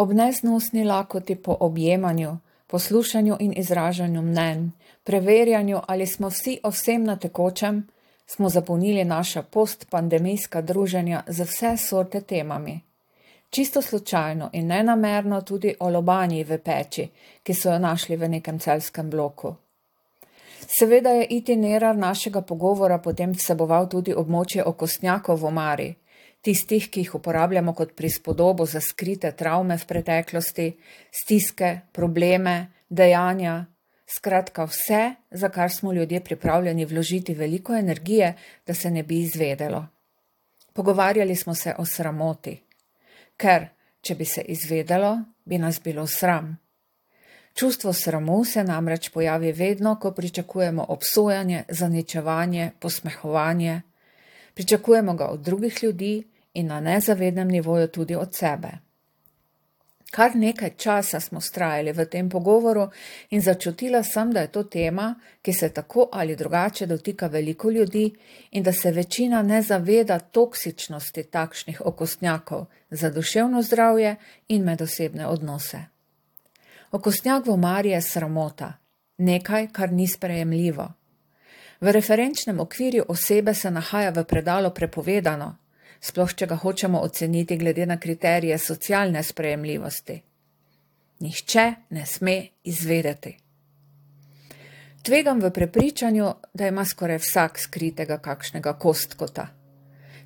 Ob neznosni lakoti po objemanju, poslušanju in izražanju mnenj, preverjanju, ali smo vsi o vsem na tekočem, smo zapolnili naša postpandemijska druženja z vse sorte temami. Čisto slučajno in nenamerno tudi o lobanji v peči, ki so jo našli v nekem celjskem bloku. Seveda je itinerar našega pogovora potem vseboval tudi območje okostnjakov v omari, tistih, ki jih uporabljamo kot prispodobo za skrite travme v preteklosti, stiske, probleme, dejanja, skratka vse, za kar smo ljudje pripravljeni vložiti veliko energije, da se ne bi izvedelo. Pogovarjali smo se o sramoti, ker, če bi se izvedelo, bi nas bilo sram. Čustvo sramu se namreč pojavi vedno, ko pričakujemo obsojanje, zaničevanje, posmehovanje. Pričakujemo ga od drugih ljudi in na nezavednem nivoju tudi od sebe. Kar nekaj časa smo vztrajali v tem pogovoru in začutila sem, da je to tema, ki se tako ali drugače dotika veliko ljudi in da se večina ne zaveda toksičnosti takšnih okostnjakov za duševno zdravje in medosebne odnose. Okostnjak v omari je sramota, nekaj, kar ni sprejemljivo. V referenčnem okvirju osebe se nahaja v predalu prepovedano, sploh če ga hočemo oceniti glede na kriterije socialne sprejemljivosti. Nihče ne sme izvedeti. Tvegam v prepričanju, da ima skoraj vsak skritega kakšnega kostkota.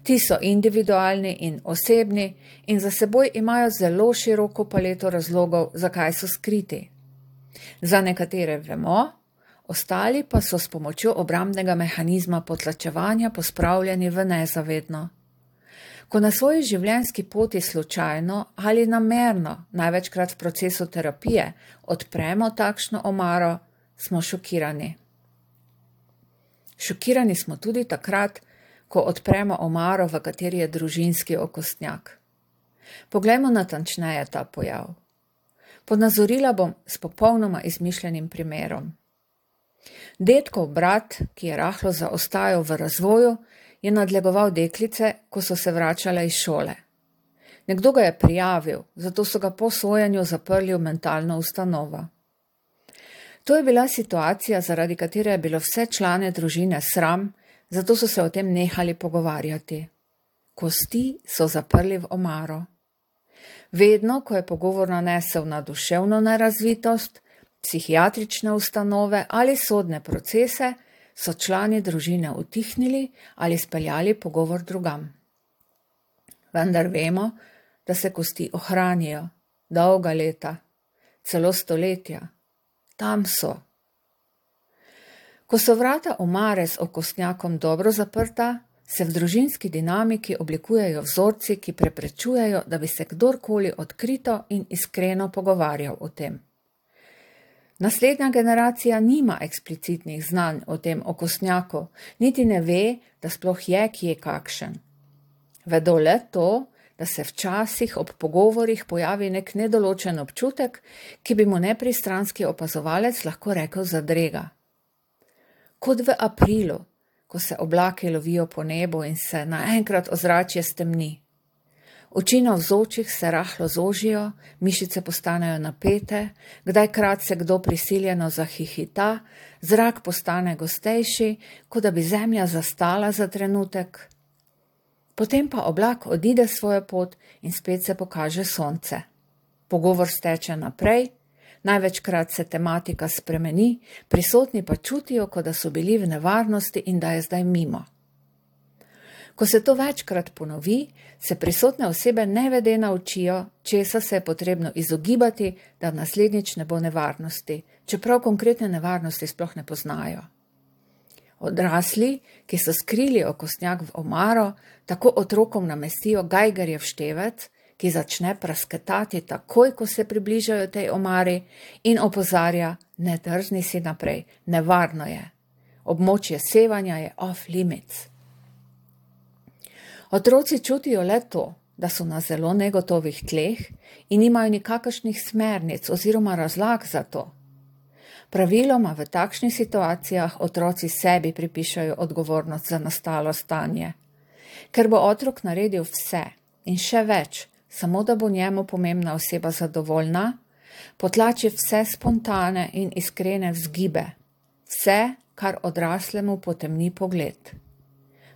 Ti so individualni in osebni in za seboj imajo zelo široko paleto razlogov, zakaj so skriti. Za nekatere vemo, ostali pa so s pomočjo obrambnega mehanizma potlačevanja pospravljeni v nezavedno. Ko na svoji življenjski poti slučajno ali namerno, največkrat v procesu terapije, odpremo takšno omaro, smo šokirani. Šokirani smo tudi takrat, ko odpremo omaro, v kateri je družinski okostnjak. Poglejmo natančneje ta pojav. Ponazorila bom s popolnoma izmišljenim primerom. Dedkov brat, ki je rahlo zaostajal v razvoju, je nadlegoval deklice, ko so se vračale iz šole. Nekdo ga je prijavil, zato so ga po sojenju zaprli v mentalno ustanovo. To je bila situacija, zaradi katere je bilo vse člane družine sram, zato so se o tem nehali pogovarjati. Kosti so zaprli v omaro. Vedno, ko je pogovor nanesel na duševno nerazvitost, psihiatrične ustanove ali sodne procese, so člani družine utihnili ali speljali pogovor drugam. Vendar vemo, da se kosti ohranijo, dolga leta, celo stoletja. Tam so. Ko so vrata omare z okostnjakom dobro zaprta, se v družinski dinamiki oblikujejo vzorci, ki preprečujejo, da bi se kdorkoli odkrito in iskreno pogovarjal o tem. Naslednja generacija nima eksplicitnih znanj o tem okostnjaku, niti ne ve, da sploh je kje kakšen. Vedo le to, da se včasih ob pogovorih pojavi nek nedoločen občutek, ki bi mu nepristranski opazovalec lahko rekel zadrega. Kot v aprilu, ko se oblaki lovijo po nebu in se naenkrat ozračje stemni. Oči navzočih se rahlo zožijo, mišice postanejo napete, kdajkrat se kdo prisiljeno zahihita, zrak postane gostejši, kot da bi zemlja zastala za trenutek. Potem pa oblak odide svojo pot in spet se pokaže sonce. Pogovor steče naprej, največkrat se tematika spremeni, prisotni pa čutijo, kot da so bili v nevarnosti in da je zdaj mimo. Ko se to večkrat ponovi, se prisotne osebe nevede naučijo, česa se je potrebno izogibati, da naslednjič ne bo nevarnosti, čeprav konkretne nevarnosti sploh ne poznajo. Odrasli, ki so skrili okostnjak v omaro, tako otrokom namestijo Geigerjev števec, ki začne prasketati takoj, ko se približajo tej omari in opozarja, ne drzni si naprej, nevarno je. Območje sevanja je off limits. Otroci čutijo le to, da so na zelo negotovih tleh in nimajo nikakršnih smernic oziroma razlag za to. Praviloma v takšnih situacijah otroci sebi pripišajo odgovornost za nastalo stanje. Ker bo otrok naredil vse in še več, samo da bo njemu pomembna oseba zadovoljna, potlači vse spontane in iskrene vzgibe, vse, kar odraslemu potemni pogled.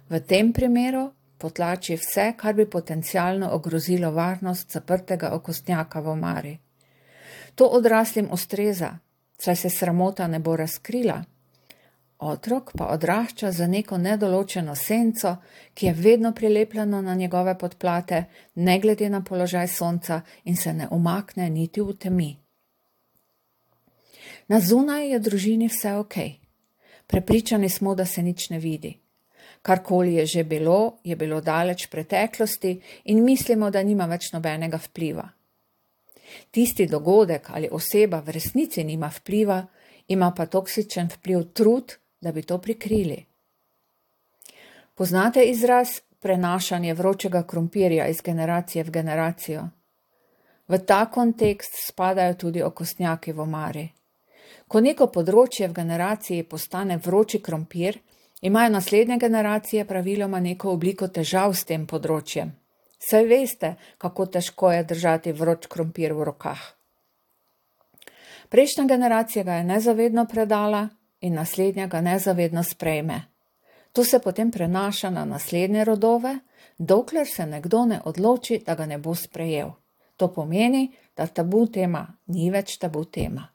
V tem primeru potlači vse, kar bi potencialno ogrozilo varnost zaprtega okostnjaka v omari. To odraslim ustreza, saj se sramota ne bo razkrila. Otrok pa odrašča za neko nedoločeno senco, ki je vedno prilepljeno na njegove podplate, ne glede na položaj sonca in se ne umakne niti v temi. Na zunaj je družini vse okej. Prepričani smo, da se nič ne vidi. Karkoli je bilo daleč v preteklosti in mislimo, da nima več nobenega vpliva. Tisti dogodek ali oseba v resnici nima vpliva, ima pa toksičen vpliv trud, da bi to prikrili. Poznate izraz prenašanje vročega krompirja iz generacije v generacijo? V ta kontekst spadajo tudi okostnjaki v omari. Ko neko področje v generaciji postane vroči krompir, imajo naslednje generacije praviloma neko obliko težav s tem področjem. Saj veste, kako težko je držati vroč krompir v rokah. Prejšnja generacija ga je nezavedno predala in naslednja ga nezavedno sprejme. To se potem prenaša na naslednje rodove, dokler se nekdo ne odloči, da ga ne bo sprejel. To pomeni, da tabu tema ni več tabu tema.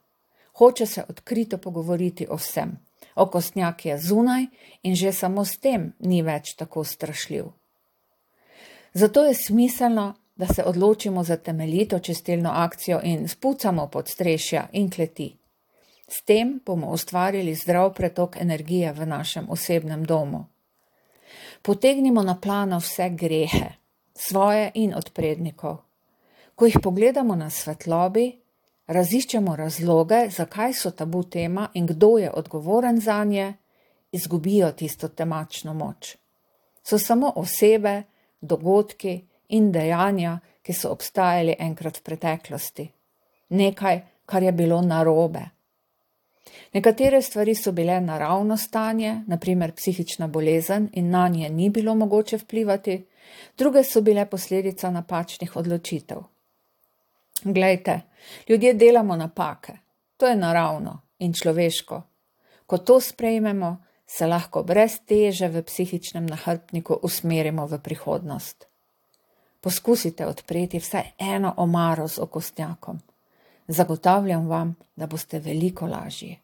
Hoče se odkrito pogovoriti o vsem. Okostnjak je zunaj in že samo s tem ni več tako strašljiv. Zato je smiselno, da se odločimo za temeljito čistilno akcijo in spucamo podstrešja in kleti. S tem bomo ustvarili zdrav pretok energije v našem osebnem domu. Potegnimo na plano vse grehe, svoje in od prednikov. Ko jih pogledamo na svetlobi, raziščemo razloge, zakaj so tabu tema in kdo je odgovoren zanje, izgubijo tisto temačno moč. So samo osebe, dogodki in dejanja, ki so obstajali enkrat v preteklosti. Nekaj, kar je bilo narobe. Nekatere stvari so bile naravno stanje, na primer psihična bolezen in nanje ni bilo mogoče vplivati, druge so bile posledica napačnih odločitev. Glejte, ljudje delamo napake, to je naravno in človeško. Ko to sprejmemo, se lahko brez teže v psihičnem nahrbtniku usmerimo v prihodnost. Poskusite odpreti vsaj eno omaro z okostnjakom. Zagotavljam vam, da boste veliko lažji.